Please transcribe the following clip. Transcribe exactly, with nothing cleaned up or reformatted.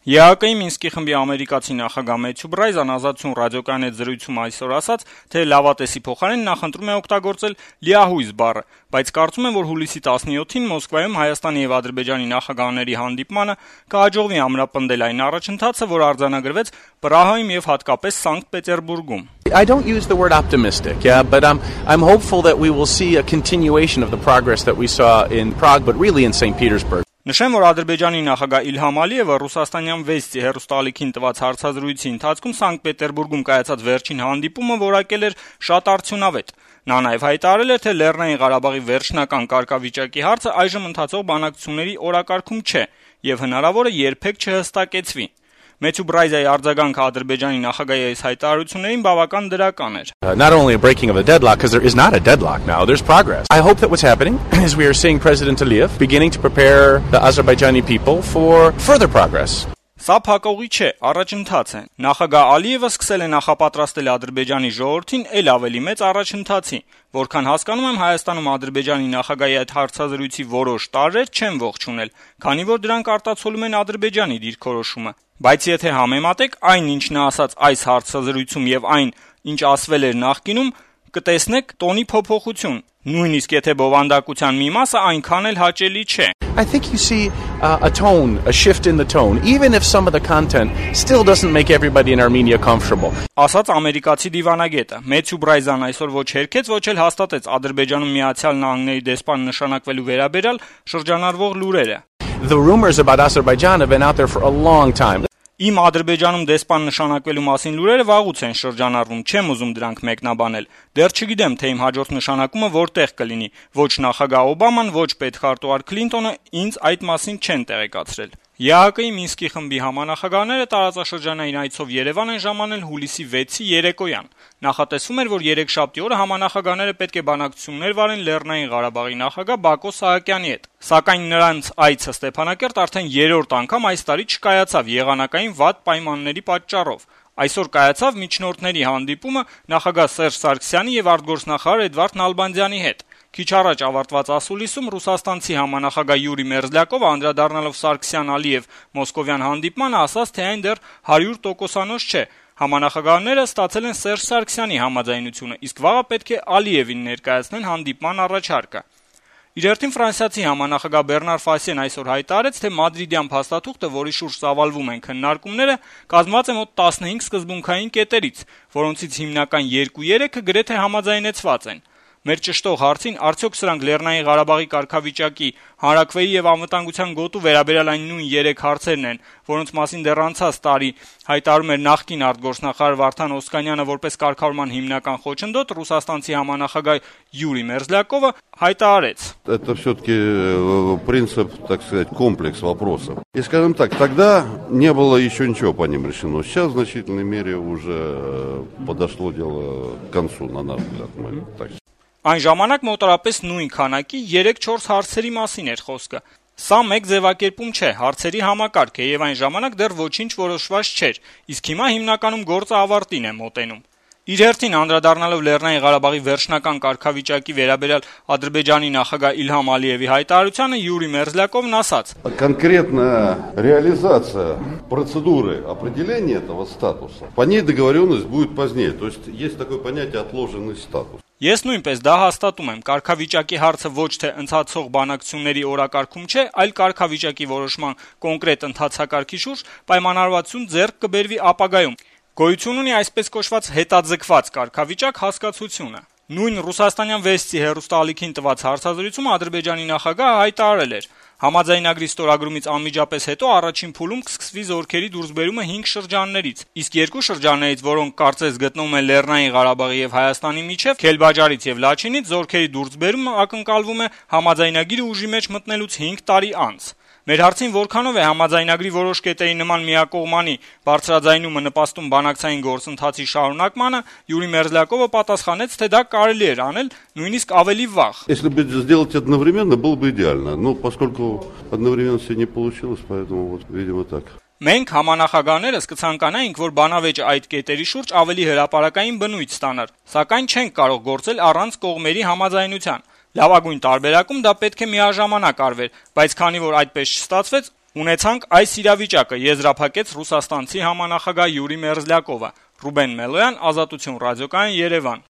ԵԱԿ-ի Մինսկի խմբի ամերիկացի նախագահ Մեթյու Բրայզան «Ազատություն» ռադիոկայանի հետ զրույցում այսօր ասաց, թե լավատեսի փոխարեն նա խնդրում է օգտագործել «լիահույս» բառը, բայց կարծում եմ, որ հուլիսի տասնյոթին Մոսկվայում Հայաստանի եւ Ադրբեջանի նախագահների հանդիպմանը կհաջողվի ամրապնդել այն առաջընթացը, որ արձանագրվեց Պրահայում եւ հատկապես Սանկտ Պետերբուրգում. I don't use the word optimistic, yeah, but I'm I'm hopeful that we will see a continuation of the progress that we saw in Prague, but really in Saint Petersburg. Նշեմ, որ Ադրբեջանի նախագահ Իլհամ Ալիևը ռուսաստանյան Վեստի հեռուստաալիքին տված հարցազրույցի ընթացքում Սանկտ Պետերբուրգում կայացած վերջին հանդիպումը որակել էր շատ արդյունավետ։ Նա նաև հայտարարել էր, թե Լեռնային Ղարաբաղի վերջնական կարգավիճակի հարցը այժմ ընթացող բանակցությունների օրակարգում չէ եւ հնարավոր է երբեք չհստակեցվի։ Մեթյու Բրայզայի արձագանքը Ադրբեջանի նախագահի այս հայտարարություններին բավական դրական էր. Not only a breaking of a deadlock, because there is not a deadlock now, there's progress. I hope that what's happening is we are seeing President Aliyev beginning to prepare the Azerbaijani people for further progress. Սա փակողի չէ, առաջընթաց է։ Նախագահ Ալիևը սկսել է նախապատրաստել Ադրբեջանի ժողովրդին ել ավելի մեծ առաջընթացի, որքան հասկանում եմ Հայաստանում Ադրբեջանի նախագահի այդ հարցազրույցի որոշ տարրեր չեն ողջունել, քանի որ դրանք արտացոլում են Ադրբեջանի դիրքորոշումը։ Բայց եթե համեմատեք այն, ինչ նա ասաց այս հարցազրույցում եւ այն, ինչ ասվել էր նախկինում, կտեսնեք տոնի փոփոխություն, նույնիսկ եթե բովանդակության մի մասը այնքան էլ հաճելի չէ։ I think you see uh, a tone, a shift in the tone, even if some of the content still doesn't make everybody in Armenia comfortable. Ասաց ամերիկացի դիվանագետը։ Մեթյու Բրայզան այսօր ոչ հերքեց, ոչ էլ հաստատեց Ադրբեջանում Միացյալ Նահանգների դեսպան նշանակվելու վերաբերյալ շրջանառվող լուրերը։ The rumors about Azerbaijan have been out there for a long time. Իմ Ադրբեջանում դեսպան նշանակվելու մասին լուրերը վաղուց են շրջանառվում, չեմ ուզում դրանք մեկնաբանել։ Դեռ չգիտեմ, թե իմ հաջորդ նշանակումը որտեղ կլինի։ Ոչ նախագահ Օբաման, ոչ պետքարտուղար Քլինտոնը ինձ այդ մասին չեն տեղեկացրել։ ԵԱՀԿ-ի Մինսկի խմբի համանախագահները տարածաշրջանային այցով Երևան են ժամանել հուլիսի վեցի երեկոյան։ Նախատեսվում էր, որ երեքշաբթի օրը համանախագահները պետք է բանակցություններ վարեն Լեռնային Ղարաբաղի նախագահ Բակո Սահակյանի հետ։ Սակայն նրանց այցը Ստեփանակերտ արդեն երրորդ անգամ այս տարի չկայացավ եղանակային վատ պայմանների պատճառով։ Այսօր կայացավ միջնորդների հանդիպումը նախագահ Սերժ Սարգսյանի եւ արտգործնախարար Էդվարդ Նալբանդյանի հետ։ Քիչ առաջ ավարտված ասուլիսում ռուսաստանցի համանախագահ Յուրի Մերզլյակովը անդրադառնալով Սարգսյան-Ալիև մոսկովյան հանդիպմանը ասաց, թե այն դեռ հարյուր տոկոսանոց չէ։ Համանախագահները ստացել են Սերժ Սարգսյանի համաձայնությունը, իսկ վաղը պետք է Ալիևին ներկայացնեն հանդիպման առաջարկը։ Իր հերթին ֆրանսիացի համանախագահ Բեռնար Ֆասիեն այսօր հայտարարեց, թե մադրիդյան փաստաթուղթը, որի շուրջ ծավալվում են քննարկումները, կազմված է մոտ տասնհինգ սկզբունքային կետերից, որոնցից հիմնական երկու-երեքը գրեթե համաձայնեցված են։ Մեր ճշտող հարցին, արդյոք սրանք Լեռնային Ղարաբաղի կարգավիճակի, հանրաքվեի եւ անվտանգության գոտու վերաբերյալ այն նույն երեք հարցերն են, որոնց մասին դեռ անցած տարի հայտարարում էր նախկին արտգործնախարար Վարդան Օսկանյանը որպես կարգավորման հիմնական խոչընդոտ, ռուսաստանցի համանախագահ Յուրի Մերզլյակովը հայտարարեց. Это все-таки принцип, так сказать, комплекс вопросов. И, скажем так, тогда не было еще ничего по ним решено. Сейчас в значительной мере уже подошло дело к концу, на наш взгляд. Мы так. Այն ժամանակ մոտարապես նույն քանակի երեք-չորս հարցերի մասին էր խոսքը։ Սա մեկ ձևակերպում չէ, հարցերի համակարգ է եւ այն ժամանակ դեռ ոչինչ որոշված չէր, իսկ հիմա հիմնականում գործը ավարտին է մոտենում։ Իր հերթին անդրադառնալով Լեռնային Ղարաբաղի վերջնական կարգավիճակի վերաբերյալ Ադրբեջանի նախագահ Իլհամ Ալիևի հայտարարությանը Յուրի Մերզլյակովն ասաց. Конкретная реализация процедуры определения этого статуса, по ней договоренность будет позднее. То есть есть такое понятие отложенный статус. Ես նույնպես դա հաստատում եմ, կարգավիճակի հարցը ոչ թե ընթացող բանակցությունների օրակարգում չէ, այլ կարգավիճակի որոշման կոնկրետ ընթացակարգի շուրջ պայմանավորվածություն ձեռք կբերվի ապագայում։ Գոյություն ունի այսպես կոչված հետաձգված կարգավիճակ հասկացությունը։ Նույն ռուսաստանյան Վեստի հեռուստաալիքին տված հարցազրույցում Ադրբեջանի նախագահը հայտարարել էր. Համաձայնագրի ստորագրումից անմիջապես հետո առաջին փուլում կսկսվի զորքերի դուրսբերումը հինգ շրջաններից, իսկ երկու շրջաններից, որոնք կարծես գտնվում են Լեռնային Ղարաբաղի եւ Հայաստանի միջև, Քելբաջարից եւ Լաչինից, զորքերի դուրսբերումը ակնկալվում է համաձայնագրի ուժի մեջ մտնելուց հինգ տարի անց։ Մեր հարցին որքանով է համաձայնագրի որոշ կետերի նման միակողմանի բարձրաձայնումը նպաստում բանակցային գործընթացի շարունակմանը, Յուրի Մերզլյակովը պատասխանեց, թե դա կարելի էր անել նույնիսկ ավելի վաղ։ Если бы сделать одновременно, было бы идеально, но поскольку одновременно все не получилось, поэтому вот, видимо, так. Մենք համանախագահներս կցանկանայինք, որ բանավեճը այդ կետերի շուրջ ավելի հրապարակային բնույթ ստանար, սակայն չենք կարող գործել առանց կողմերի համաձայնության։ Լավագույն տարբերակում դա պետք է միաժամանակ արվեր, բայց քանի որ այդպես չստացվեց, Ունեցանք այս իրավիճակը, եզրափակեց ռուսաստանցի համանախագահ Յուրի Մերզլյակովը։ Ռուբեն Մելոյան, Ազատություն ռադիոկայան, Երևան։